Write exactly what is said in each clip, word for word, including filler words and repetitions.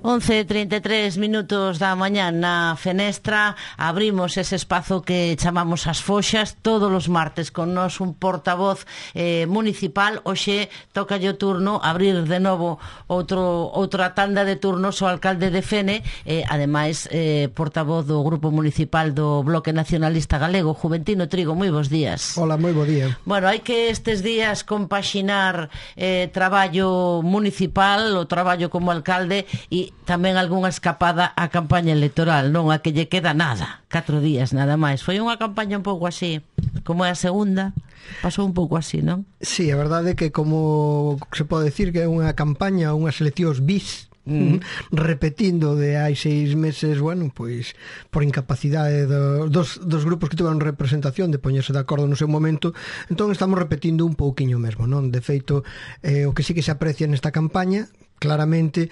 once e trinta e tres minutos da mañá na Fenestra. Abrimos ese espazo que chamamos as foxas todos os martes con nos un portavoz eh, municipal. Hoxe toca o turno abrir de novo outro, outra tanda de turnos o alcalde de Fene, eh, ademais eh, portavoz do Grupo Municipal do Bloque Nacionalista Galego, Juventino Trigo. Moi bons días. Hola, moi bo día. Bueno, hai que estes días compaxinar eh, traballo municipal, o traballo como alcalde e tamén algunha escapada á campaña electoral, non a que lle queda nada, catro días nada máis. Foi unha campaña un pouco así, como é a segunda, pasou un pouco así, non? Sí, a verdade é que como se pode decir que é unha campaña, unhas eleccións bis, Mm. repetindo de hai seis meses, bueno, pois por incapacidade do, dos, dos grupos que tiveron representación de poñerse de acordo no seu momento, entón estamos repetindo un pouquiño mesmo, non? De feito, eh, o que sí que se aprecia nesta campaña claramente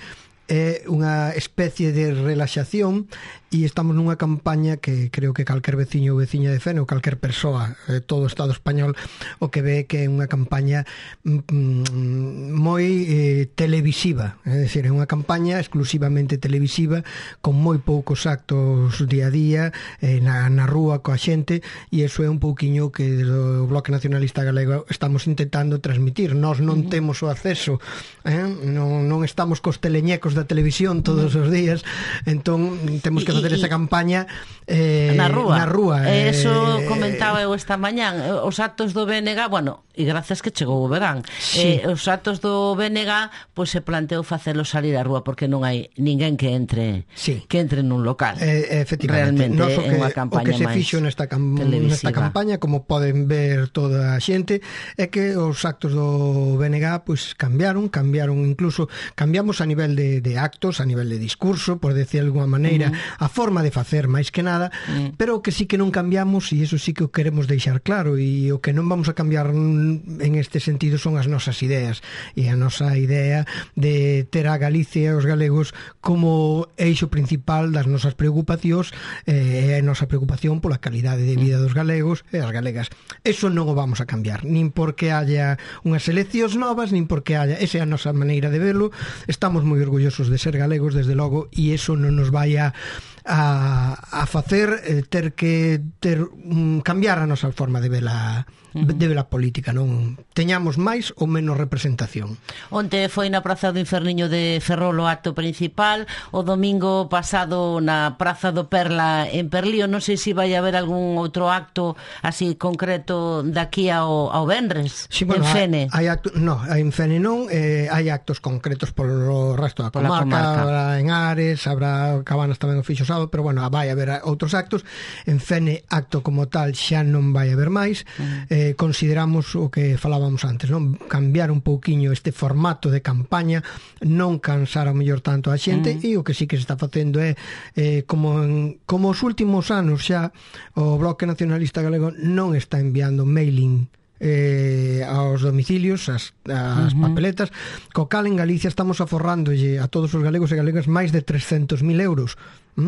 é unha especie de relaxación, e estamos nunha campaña que creo que calquer veciño ou veciña de Fene ou calquer persoa de todo o Estado español o que ve que é unha campaña mm, moi eh, televisiva, é dicir, é unha campaña exclusivamente televisiva con moi poucos actos día a día eh, na, na rúa coa xente, e iso é un pouquiño que do Bloque Nacionalista Galego estamos intentando transmitir. Nós non uh -huh. temos o acceso, eh? non, non estamos cos teleñecos da televisión todos os días, entón temos que facer esa campaña eh, na rúa, na rúa eh, eso eh, comentaba eu esta mañán. Os actos do B N G, bueno, e grazas que chegou o verán, sí. eh, os actos do B N G pois se planteou facelo salir á rúa porque non hai ninguén que entre sí. que entre nun local. Eh, efectivamente, realmente Nos, o, que, é unha campaña o que se máis fixo nesta, cam nesta campaña, como poden ver toda a xente, é que os actos do B N G pois cambiaron, cambiaron incluso cambiamos a nivel de, de actos, a nivel de discurso, por decir de alguma maneira, uh -huh. a forma de facer máis que nada, uh -huh. pero o que sí que non cambiamos, e iso sí que o queremos deixar claro, e o que non vamos a cambiar en este sentido son as nosas ideas, e a nosa idea de ter a Galicia e os galegos como eixo principal das nosas preocupacións, e eh, a nosa preocupación pola calidade de vida dos galegos e as galegas. Eso non o vamos a cambiar, nin porque haya unhas eleccións novas, nin porque haya, esa é a nosa maneira de verlo. Estamos moi orgullosos de ser galegos, desde logo, e iso non nos vai a a, a facer eh, ter que ter um, cambiar a nosa forma de ver a uh -huh. de ver a política, non teñamos máis ou menos representación. Onte foi na Praza do Inferniño de Ferrol o acto principal, o domingo pasado na Praza do Perla en Perlío. Non sei se vai haber algún outro acto así concreto daqui ao, ao Venres, sí, bueno, en Fene. Hai, hai acto, no, en Fene non, eh, hai actos concretos polo resto da comarca, comarca. Habrá en Ares, habrá Cabanas tamén o fixo sábado, pero bueno, vai haber outros actos. En Fene acto como tal xa non vai haber máis. Uh -huh. eh, consideramos o que falábamos antes, non? Cambiar un pouquiño este formato de campaña, non cansar ao mellor tanto a xente, uh -huh. e o que sí que se está facendo é eh, como, en, como os últimos anos xa o Bloque Nacionalista Galego non está enviando mailing eh, aos domicilios, as, as uh -huh. papeletas, co cal en Galicia estamos aforrándolle a todos os galegos e galegas máis de trescentos mil euros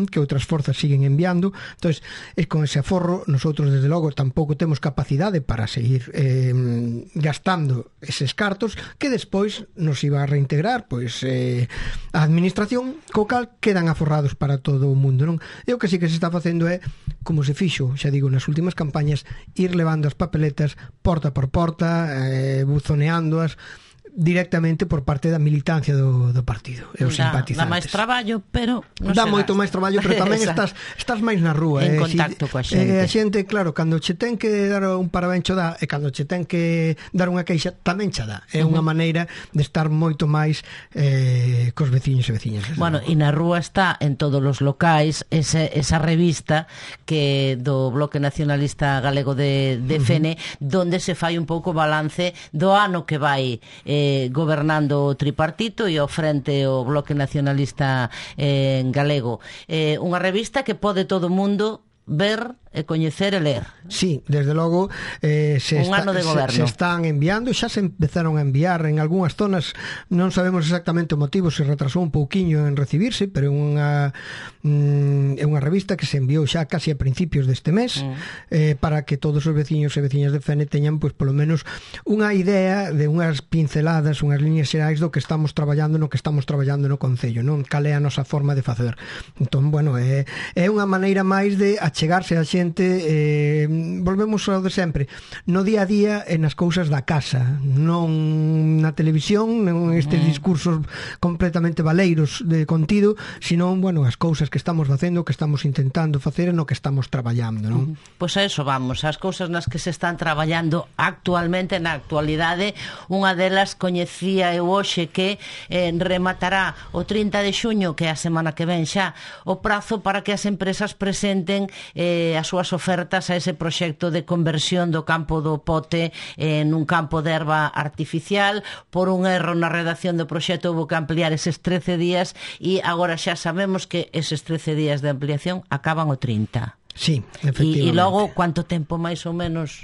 que outras forzas siguen enviando. Entonces, é con ese aforro, nosotros desde logo tampouco temos capacidade para seguir eh, gastando eses cartos que despois nos iba a reintegrar pois eh, a administración, co cal quedan aforrados para todo o mundo, non? E o que sí que se está facendo é, como se fixo, xa digo, nas últimas campañas, ir levando as papeletas porta por porta, eh, buzoneándoas directamente por parte da militancia do, do partido e os da, simpatizantes. Dá máis traballo, pero non dá moito máis traballo, pero tamén estás estás máis na rúa, en eh, contacto si, coa xente. Eh, a xente, claro, cando che ten que dar un parabencho dá, e cando che ten que dar unha queixa tamén che dá. É uh -huh. unha maneira de estar moito máis eh, cos veciños e veciñas. Bueno, e na rúa está en todos os locais ese, esa revista que do Bloque Nacionalista Galego de, de Fene, uh -huh. donde se fai un pouco balance do ano que vai eh, gobernando o tripartito e ao frente o Bloque Nacionalista eh, Galego. Eh, unha revista que pode todo o mundo ver e coñecer e ler. Sí, desde logo eh, se, un está, ano de goberno. se, se están enviando, xa se empezaron a enviar en algunhas zonas, non sabemos exactamente o motivo, se retrasou un pouquiño en recibirse, pero é unha mm, é unha revista que se enviou xa casi a principios deste mes, mm. eh, para que todos os veciños e veciñas de Fene teñan, pois, polo menos unha idea de unhas pinceladas, unhas líneas xerais do que estamos traballando no que estamos traballando no Concello, non? Cal é a nosa forma de facer. Entón, bueno, é, é unha maneira máis de achegarse a xente, eh, volvemos ao de sempre, no día a día e nas cousas da casa, non na televisión, non estes mm. discursos completamente valeiros de contido, sino, bueno, as cousas que estamos facendo, que estamos intentando facer e no que estamos traballando, non? Pois a eso vamos, as cousas nas que se están traballando actualmente, na actualidade. Unha delas coñecía eu hoxe que eh, rematará o trinta de xuño, que é a semana que ven xa, o prazo para que as empresas presenten eh, as súas ofertas a ese proxecto de conversión do campo do Pote en un campo de erva artificial. Por un erro na redacción do proxecto houve que ampliar eses trece días e agora xa sabemos que eses trece días de ampliación acaban o trinta. Sí, efectivamente. E logo, quanto tempo máis ou menos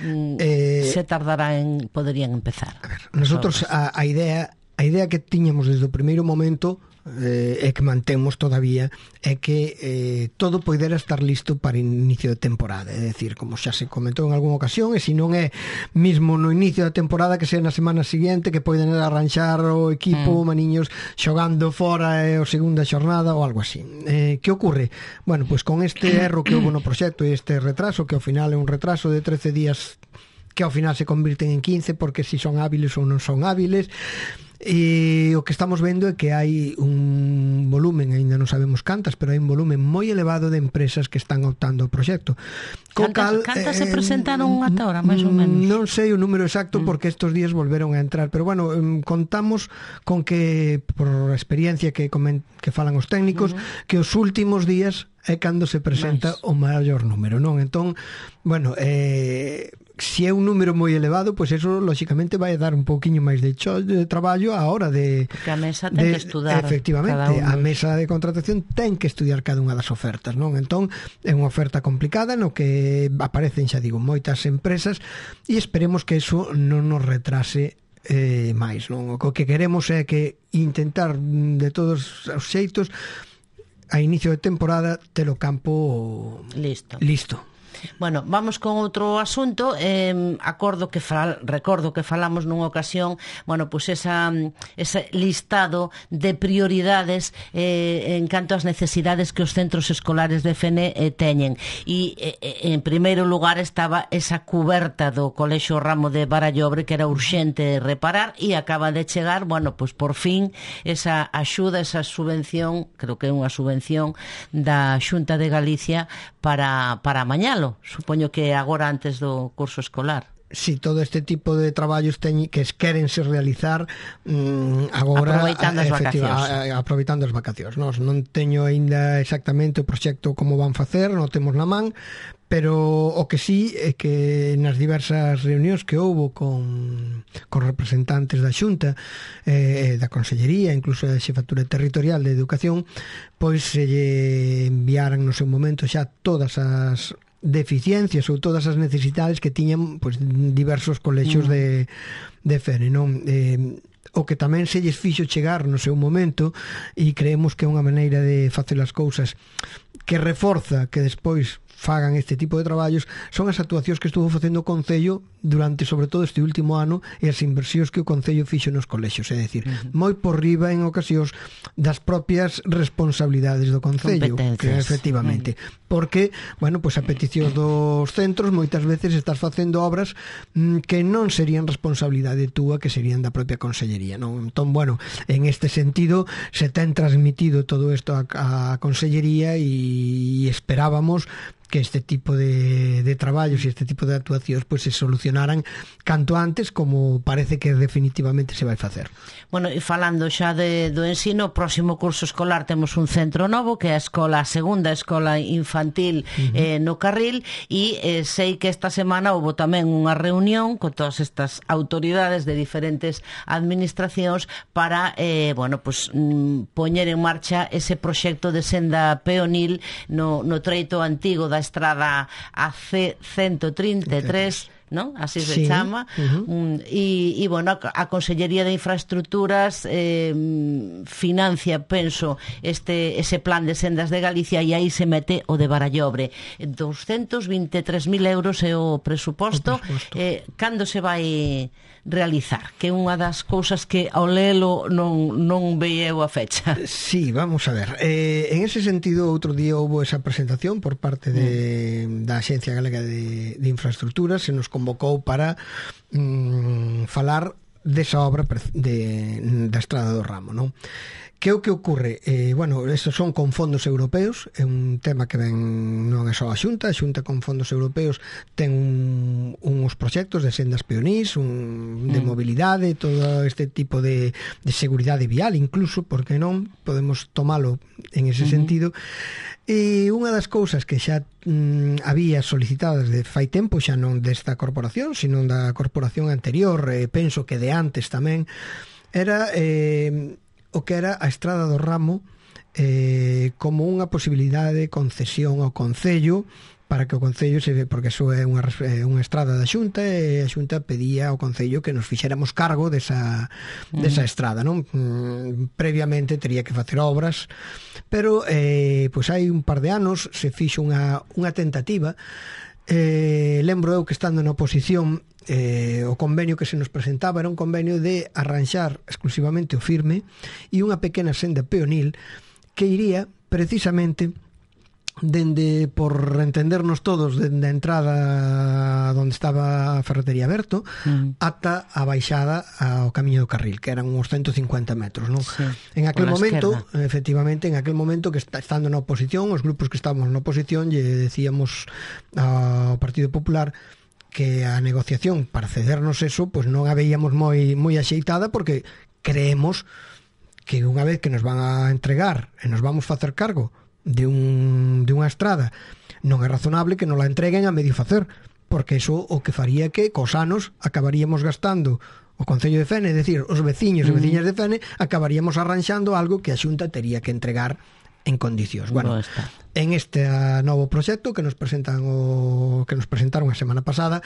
mm, eh, se tardará en poderían empezar? A ver, nosotros a, a idea a idea que tiñamos desde o primeiro momento eh, e que mantemos todavía é que eh, todo poidera estar listo para inicio de temporada, é dicir, como xa se comentou en algunha ocasión, e se non é mismo no inicio da temporada, que sea na semana seguinte, que poden arranxar o equipo, mm. maniños xogando fora e o segunda xornada ou algo así. Eh, que ocorre? Bueno, pois con este erro que houve no proxecto e este retraso, que ao final é un retraso de trece días que ao final se convirten en quince, porque si son hábiles ou non son hábiles. E o que estamos vendo é que hai un volumen, ainda non sabemos cantas, pero hai un volumen moi elevado de empresas que están optando ao proxecto. Cantas, cantas eh, se presentaron ata ahora, máis ou menos? Non sei o número exacto, porque estes días volveron a entrar, pero bueno, contamos con que, por a experiencia que, coment, que falan os técnicos, uh -huh. que os últimos días é cando se presenta Mais. o maior número, non? Entón, bueno, eh... se é un número moi elevado, pois pues eso lógicamente vai dar un pouquiño máis de, cho, de traballo a hora de... Porque a mesa ten de, que estudar. Efectivamente, a mesa de contratación ten que estudiar cada unha das ofertas, non? Entón, é unha oferta complicada no que aparecen, xa digo, moitas empresas e esperemos que eso non nos retrase eh, máis, non? O que queremos é que intentar de todos os xeitos a inicio de temporada ter o campo listo. listo. Bueno, vamos con outro asunto. eh, acordo que fal, recordo que falamos nunha ocasión, bueno, pues esa, ese listado de prioridades eh, en canto ás necesidades que os centros escolares de Fene eh, teñen, e eh, en primeiro lugar estaba esa cuberta do Colexio Ramo de Barallobre, que era urxente reparar, e acaba de chegar, bueno, pues por fin esa axuda, esa subvención, creo que é unha subvención da Xunta de Galicia para, para amañalo. Supoño que agora antes do curso escolar. Si todo este tipo de traballos teñen, que querense realizar mmm, agora aproveitando as vacacións. Aproveitando as vacacións. Nos non teño aínda exactamente o proxecto como van facer, non temos na man, pero o que sí é que nas diversas reunións que houbo con, con representantes da Xunta, eh, da Consellería, incluso da Xefatura Territorial de Educación, pois se lle enviaran no seu momento xa todas as deficiencias ou todas as necesidades que tiñan, pois, diversos colexios mm. de, de Fene, non? Eh, o que tamén se lles fixo chegar no seu momento, e creemos que é unha maneira de facer as cousas que reforza que despois fagan este tipo de traballos, son as actuacións que estuvo facendo o Concello durante, sobre todo, este último ano, e as inversións que o Concello fixo nos colexios, é dicir, uh -huh. moi por riba en ocasións das propias responsabilidades do Concello, que efectivamente, uh -huh. porque, bueno, pois pues, a petición dos centros moitas veces estás facendo obras mm, que non serían responsabilidade túa, que serían da propia Consellería, non? Entón, bueno, en este sentido se ten transmitido todo isto a, a Consellería, e esperábamos que este tipo de, de traballos e este tipo de actuacións pues, se solucionen funcionaran canto antes, como parece que definitivamente se vai facer. Bueno, e falando xa de, do ensino, o próximo curso escolar temos un centro novo, que é a escola, a segunda escola infantil uh-huh. eh, no Carril, e eh, sei que esta semana houve tamén unha reunión con todas estas autoridades de diferentes administracións para, eh, bueno, pues, mm, poñer en marcha ese proxecto de senda peonil no, no treito antigo da estrada A C ciento trinta e tres, ¿no? Así se sí. chama. Uh-huh. um, e, e, bueno, a Consellería de Infraestructuras eh, financia, penso, este ese plan de sendas de Galicia, e aí se mete o de Barallobre. doscientos vinte e tres mil euros é o presuposto. O presuposto. Eh, cando se vai realizar? Que é unha das cousas que ao lelo non, non veieu a fecha. Sí, vamos a ver. Eh, en ese sentido, outro día houve esa presentación por parte de, mm. da Axencia Galega de, de Infraestructuras. Se nos convocou para mm, falar desa obra de, da Estrada do Ramo, non? Que é o que ocurre? Eh, bueno, estos son con fondos europeos, é un tema que ven non é só a Xunta, a Xunta con fondos europeos ten un, uns proxectos de sendas peonís, un, de mm. mobilidade, todo este tipo de, de seguridade vial, incluso, porque non podemos tomalo en ese mm-hmm. sentido. E unha das cousas que xa mm, había solicitadas de fai tempo, xa non desta corporación, sino da corporación anterior, eh, penso que de antes tamén, era eh, o que era a Estrada do Ramo eh, como unha posibilidade de concesión ao Concello, para que o Concello se ve, porque eso é unha, unha estrada da Xunta, e a Xunta pedía ao Concello que nos fixéramos cargo desa, mm. desa estrada, non? Mm, previamente tería que facer obras, pero eh, pois hai un par de anos se fixo unha, unha tentativa. Eh, lembro eu que estando na oposición, eh, o convenio que se nos presentaba era un convenio de arranxar exclusivamente o firme e unha pequena senda peonil que iría precisamente dende, por entendernos todos, dende a entrada onde estaba a ferretería Berto mm. ata a baixada ao Camiño do Carril, que eran uns ciento cincuenta metros, non? Sí, en aquel momento, esquerda. Efectivamente, en aquel momento que está, estando na oposición, os grupos que estábamos na oposición, lle decíamos ao Partido Popular que a negociación para cedernos eso, pois non a veíamos moi moi axeitada, porque creemos que unha vez que nos van a entregar e nos vamos facer cargo de un de unha estrada, non é razonable que nos la entreguen a medio facer, porque eso o que faría que cos anos acabaríamos gastando o Concello de Fene, é dicir, os veciños e veciñas de Fene, acabaríamos arranxando algo que a Xunta tería que entregar en condicións. Bueno, no en este novo proxecto que nos presentan o que nos presentaron a semana pasada,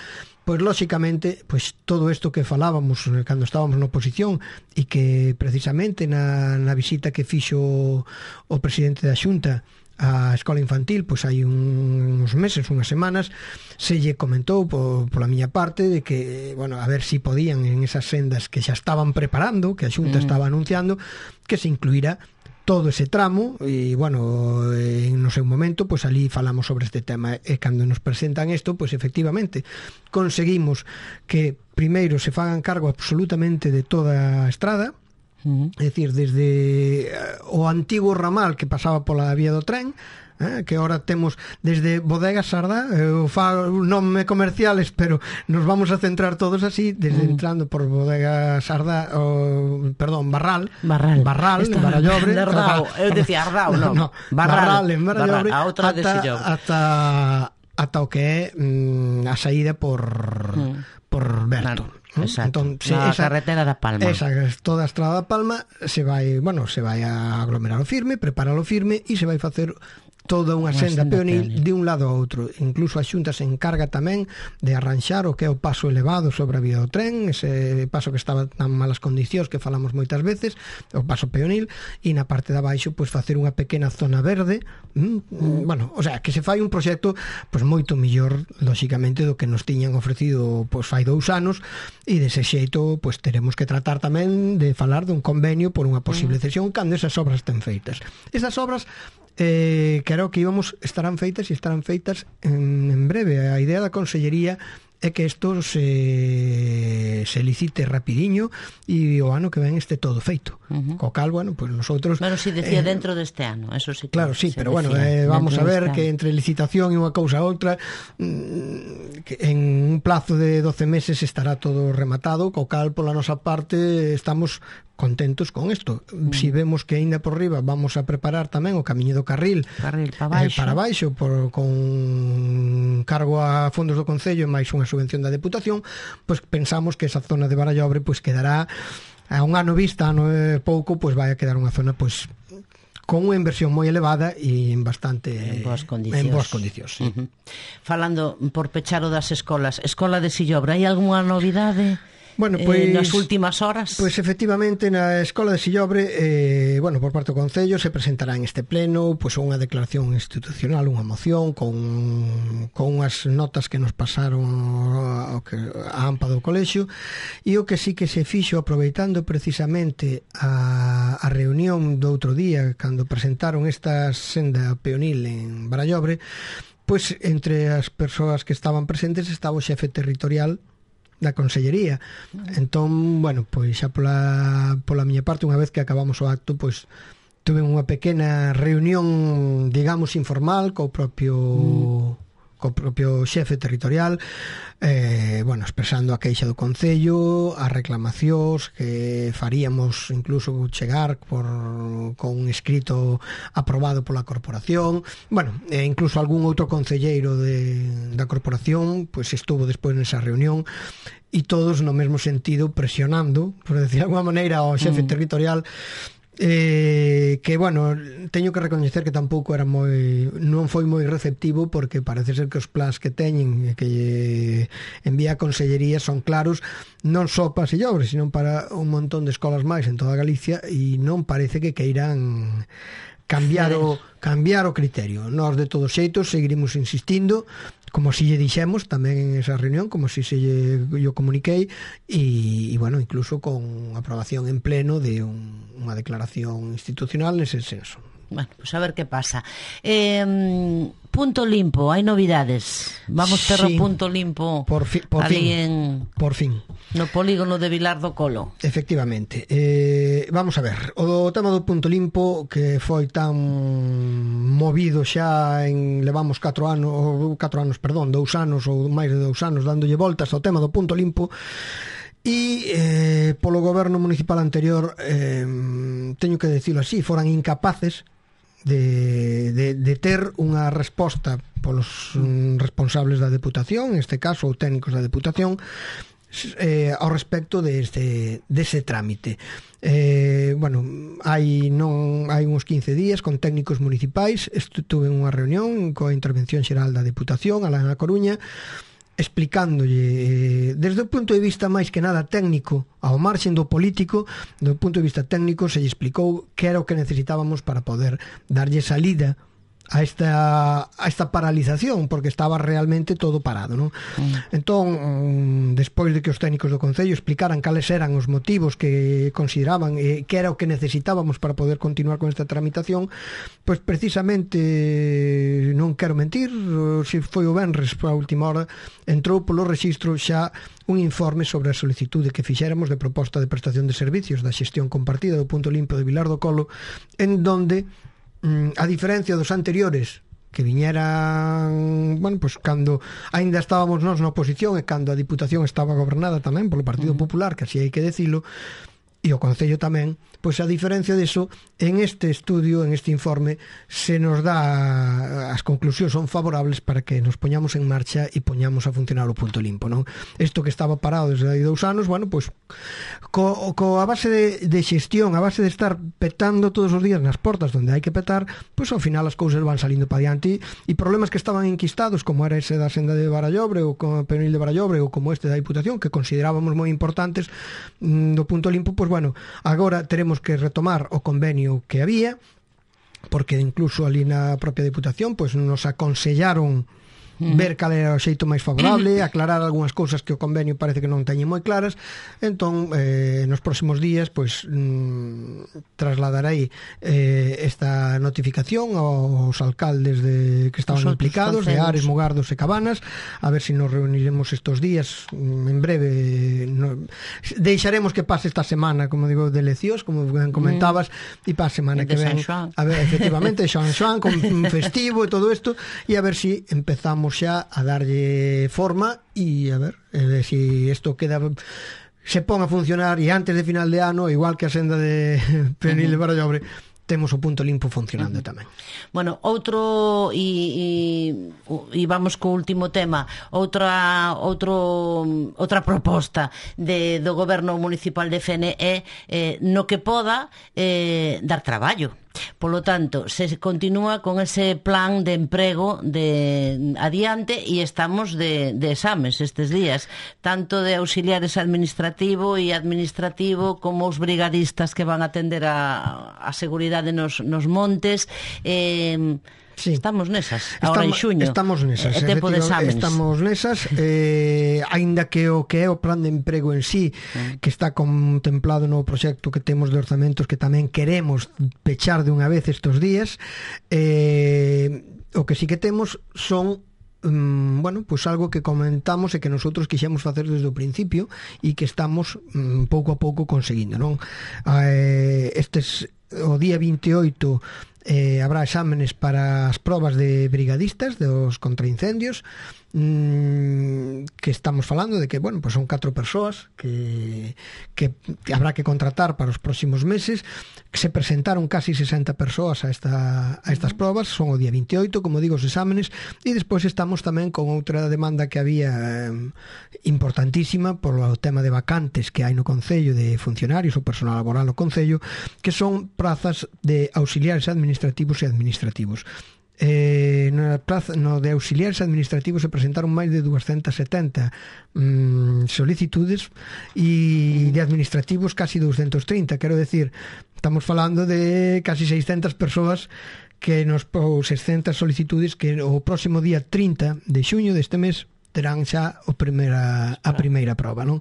pois lóxicamente, pois todo isto que falábamos cando estábamos na oposición, e que precisamente na, na visita que fixo o presidente da Xunta a escola infantil, pois hai un, uns meses, unhas semanas, se lle comentou por, pola miña parte de que, bueno, a ver si podían en esas sendas que xa estaban preparando, que a Xunta mm. estaba anunciando, que se incluíra todo ese tramo. E, bueno, en no seu momento, pois ali falamos sobre este tema, e cando nos presentan isto, pois efectivamente conseguimos que primeiro se fagan cargo absolutamente de toda a estrada, uh-huh. é dicir, desde o antigo ramal que pasaba pola vía do tren, eh, que ahora temos desde Bodega Sardá, eu falo nome comerciales, pero nos vamos a centrar todos así, desde mm. entrando por Bodega Sardá, o, perdón, Barral, Barral, Barral en Barallobre, Ardao, eu dicía Ardao, non, no, no, Barral, Barral en Barallobre, Barral, ata, ata, ata o que é mm, a saída por mm. por Berto. Claro. Exacto. Entón, se, na esa, carretera da Palma. Esa, toda a estrada da Palma se vai, bueno, se vai a aglomerar o firme, preparar o firme, e se vai facer toda unha senda peonil de un lado a outro. Incluso a Xunta se encarga tamén de arranxar o que é o paso elevado sobre a vía do tren, ese paso que estaba en malas condicións que falamos moitas veces, o paso peonil, e na parte de abaixo pois facer unha pequena zona verde. Mm, mm. Bueno, o sea, que se fai un proxecto pois moito mellor, lóxicamente, do que nos tiñan ofrecido pois fai dous anos, e dese xeito pois teremos que tratar tamén de falar dun convenio por unha posible cesión cando esas obras estén feitas. Esas obras eh, creo que íbamos estarán feitas e estarán feitas en, en breve. A idea da Consellería é que isto se, se licite rapidiño e o ano que ven este todo feito. Uh-huh. Co cal, bueno, pues nosotros... Bueno, si decía eh, dentro deste ano, eso sí que... Claro, sí, pero bueno, eh, vamos a ver que entre licitación e unha cousa a outra, mm, que en un plazo de doce meses estará todo rematado, co cal, pola nosa parte, estamos contentos con isto. Mm. Si vemos que aínda por riba vamos a preparar tamén o camiño do carril, carril para baixo, eh, para baixo por, con cargo a fondos do Concello e máis unha subvención da Deputación, pois pues pensamos que esa zona de Barallobre pois pues quedará a un ano vista, ano e pouco, pois pues vai a quedar unha zona pois pues, con unha inversión moi elevada e en bastante en boas condicións, en boas condicións sí. Uh-huh. Falando por pechar o das escolas, Escola de Sillobra, hai algunha novidade? Bueno, pois, eh, nas últimas horas? Pois efectivamente na Escola de Sillobre, eh, bueno, por parte do Concello se presentará en este pleno pois unha declaración institucional, unha moción con, con unhas notas que nos pasaron ao que, a AMPA do colexio, e o que sí que se fixo aproveitando precisamente a, a reunión do outro día cando presentaron esta senda peonil en Barallobre, pois entre as persoas que estaban presentes estaba o xefe territorial da Consellería. Entón, bueno, pois xa pola, pola miña parte, unha vez que acabamos o acto, pois tuve unha pequena reunión, digamos, informal co propio mm. co propio xefe territorial, eh, bueno, expresando a queixa do Concello, as reclamacións que faríamos incluso chegar por, con un escrito aprobado pola corporación. Bueno, e incluso algún outro concelleiro de, da corporación pois estuvo despois nesa reunión, e todos no mesmo sentido presionando, por decir de alguma maneira, ao xefe mm. territorial, eh, que, bueno, teño que recoñecer que tampouco era moi, non foi moi receptivo, porque parece ser que os plans que teñen que envía a Consellería son claros non só para Sillobre, sino para un montón de escolas máis en toda Galicia, e non parece que queiran cambiar o, cambiar o criterio. Nós, de todos xeitos, seguiremos insistindo, como si lle dixemos tamén en esa reunión, como si se lle, yo comuniquei, e, e bueno, incluso con aprobación en pleno de un, unha declaración institucional nese senso. Bueno, pues a ver que pasa. Eh, punto limpo, hai novidades. Vamos ter sí, o punto limpo por fi, por ali fin, en por fin. No polígono de Vilar do Colo. Efectivamente. Eh, vamos a ver, o tema do punto limpo que foi tan movido xa en levamos catro anos, ou catro anos, perdón, dous anos ou máis de dous anos dándolle voltas ao tema do punto limpo. E eh, polo goberno municipal anterior, eh, teño que decirlo así, foran incapaces de, de, de ter unha resposta polos mm, responsables da Deputación, en este caso, ou técnicos da Deputación, eh, ao respecto deste, dese trámite. Eh, bueno, hai non hai uns quince días con técnicos municipais estuve en unha reunión coa intervención xeral da Deputación alá na Coruña, explicándolle desde o punto de vista máis que nada técnico, ao marxen do político, do punto de vista técnico se lle explicou que era o que necesitábamos para poder darlle salida a esta a esta paralización, porque estaba realmente todo parado, non? Mm. Entón, despois de que os técnicos do Concello explicaran cales eran os motivos que consideraban eh, que era o que necesitábamos para poder continuar con esta tramitación, pois precisamente, non quero mentir, se foi o venres a última hora, entrou polo rexistro xa un informe sobre a solicitude que fixéramos de proposta de prestación de servicios da xestión compartida do punto limpo de Vilar do Colo, en donde a diferencia dos anteriores que viñeran, bueno, pois cando aínda estábamos nós na oposición e cando a Diputación estaba gobernada tamén polo Partido Popular, que así hai que decilo, e o Concello tamén, pois a diferencia deso, en este estudio, en este informe, se nos dá, as conclusións son favorables para que nos poñamos en marcha e poñamos a funcionar o punto limpo, non? Isto que estaba parado desde hai dous anos, bueno, pois co, co a base de, de xestión, a base de estar petando todos os días nas portas onde hai que petar, pois ao final as cousas van salindo para diante, e problemas que estaban enquistados, como era ese da senda de Barallobre ou como Peonil de Barallobre ou como este da Diputación, que considerábamos moi importantes mm, do punto limpo, pois bueno, agora teremos que retomar o convenio que había, porque incluso ali na propia Diputación pois nos aconsellaron -huh. ver cal era o xeito máis favorable, aclarar algunhas cousas que o convenio parece que non teñen moi claras. Entón, eh, nos próximos días pois mm, trasladarei eh, esta notificación aos alcaldes de, que estaban os implicados, de Ares, Mugardos e Cabanas, a ver se si nos reuniremos estos días en breve. No, deixaremos que pase esta semana, como digo, de eleccións, como comentabas, e mm. para a semana que ven, a ver, efectivamente, Xoan Xoan con festivo e todo isto, e a ver si empezamos xa a darlle forma e a ver eh, si isto queda, se pon a funcionar, e antes de final de ano, igual que a senda de Penil de Barallobre, temos o punto limpo funcionando uh -huh. tamén. Bueno, outro e, e, e vamos co último tema, outra outro outra proposta de, do goberno municipal de Fene é eh, no que poda eh, dar traballo. Polo tanto, se continúa con ese plan de emprego de adiante e estamos de, de exames estes días, tanto de auxiliares administrativo e administrativo como os brigadistas que van a atender a, a seguridade nos, nos montes. eh, Sí. Estamos nesas, agora en xuño. Estamos nesas, é tempo de exámenes. Estamos nesas, eh, aínda que o que é o plan de emprego en sí, mm. que está contemplado no proxecto que temos de orzamentos, que tamén queremos pechar de unha vez estes días, eh, o que sí que temos son um, bueno, pois pues algo que comentamos e que nosotros quixemos facer desde o principio e que estamos um, pouco a pouco conseguindo, non? Eh, estes o día vinte e oito eh, habrá exámenes para as probas de brigadistas dos contraincendios, mmm, que estamos falando de que, bueno, pues son catro persoas que, que habrá que contratar para os próximos meses. Que se presentaron casi sesenta persoas a, esta, a estas probas, son o día vinte e oito, como digo, os exámenes, e despois estamos tamén con outra demanda que había eh, importantísima polo tema de vacantes que hai no Concello de funcionarios ou personal laboral no Concello, que son prazas de auxiliares administrativos e administrativos. Eh, na plaza, no de auxiliares administrativos se presentaron máis de duascentas setenta mm, solicitudes, e de administrativos casi duascentas trinta, quero decir, estamos falando de casi seiscentas persoas que nos, ou seiscentas solicitudes que o próximo día trinta de xuño deste mes terán xa o primeira, a primeira proba, non?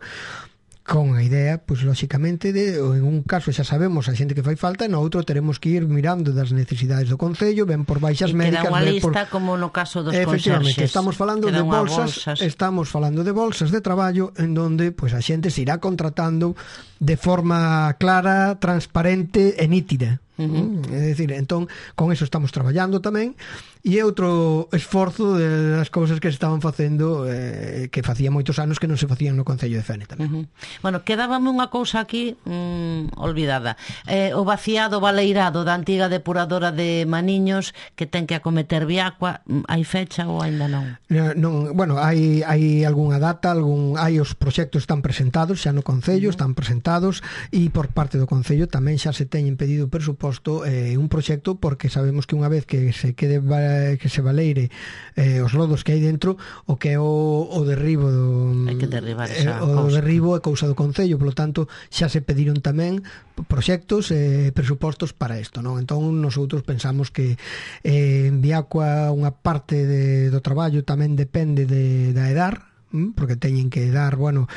Con a idea, pois, lóxicamente, de, en un caso xa sabemos a xente que fai falta, no outro teremos que ir mirando das necesidades do Concello, ben por baixas e médicas, queda unha lista por... como no caso dos efectivamente, conserxes. estamos falando queda de bolsas, bolsas, estamos falando de bolsas de traballo en donde pois a xente se irá contratando de forma clara, transparente e nítida. Uh-huh. É dicir, entón, con eso estamos traballando tamén, e é outro esforzo das cousas que se estaban facendo, eh, que facía moitos anos que non se facían no Concello de Fene tamén. Uh-huh. Bueno, quedábame unha cousa aquí mmm, olvidada, eh, o vaciado baleirado da antiga depuradora de Maniños, que ten que acometer Viacua, hai fecha ou aínda non? No, non, bueno, hai, hai algunha data, algún, hai os proxectos están presentados xa no Concello, uh-huh. están presentados, e por parte do Concello tamén xa se teñen pedido presuposto eh, un proxecto, porque sabemos que unha vez que se quede que se baleire eh, os lodos que hai dentro, o que é o, o derribo do, hai que derribar esa eh, o cousa. derribo é cousa do Concello, polo tanto xa se pediron tamén proxectos e eh, presupostos para isto, non? Entón nosotros pensamos que eh, en Viacua unha parte de, do traballo tamén depende de, da EDAR, porque teñen que dar, bueno,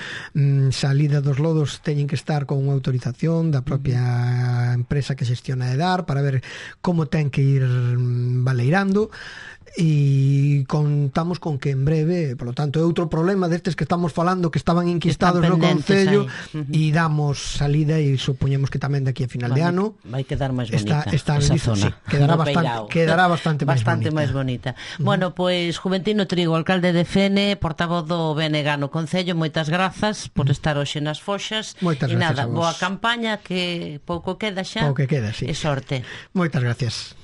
salida dos lodos, teñen que estar con unha autorización da propia empresa que xestiona a EDAR para ver como ten que ir baleirando, e contamos con que en breve, por lo tanto, é outro problema destes que estamos falando que estaban inquistados no Concello, uh-huh. e damos salida, e supoñemos que tamén daqui a final vai, de ano vai quedar máis bonita está, está esa listo, zona, sí, quedará, no bastante, quedará bastante, bastante máis bonita, bonita. Uh-huh. Bueno, pois pues, Juventino Trigo, alcalde de Fene, portavoz do B N G no Concello, moitas grazas por uh-huh. estar hoxe nas Foxas, moitas e nada, a vos. Boa campaña, que pouco queda xa, pouco que queda, sí. E sorte. Moitas gracias.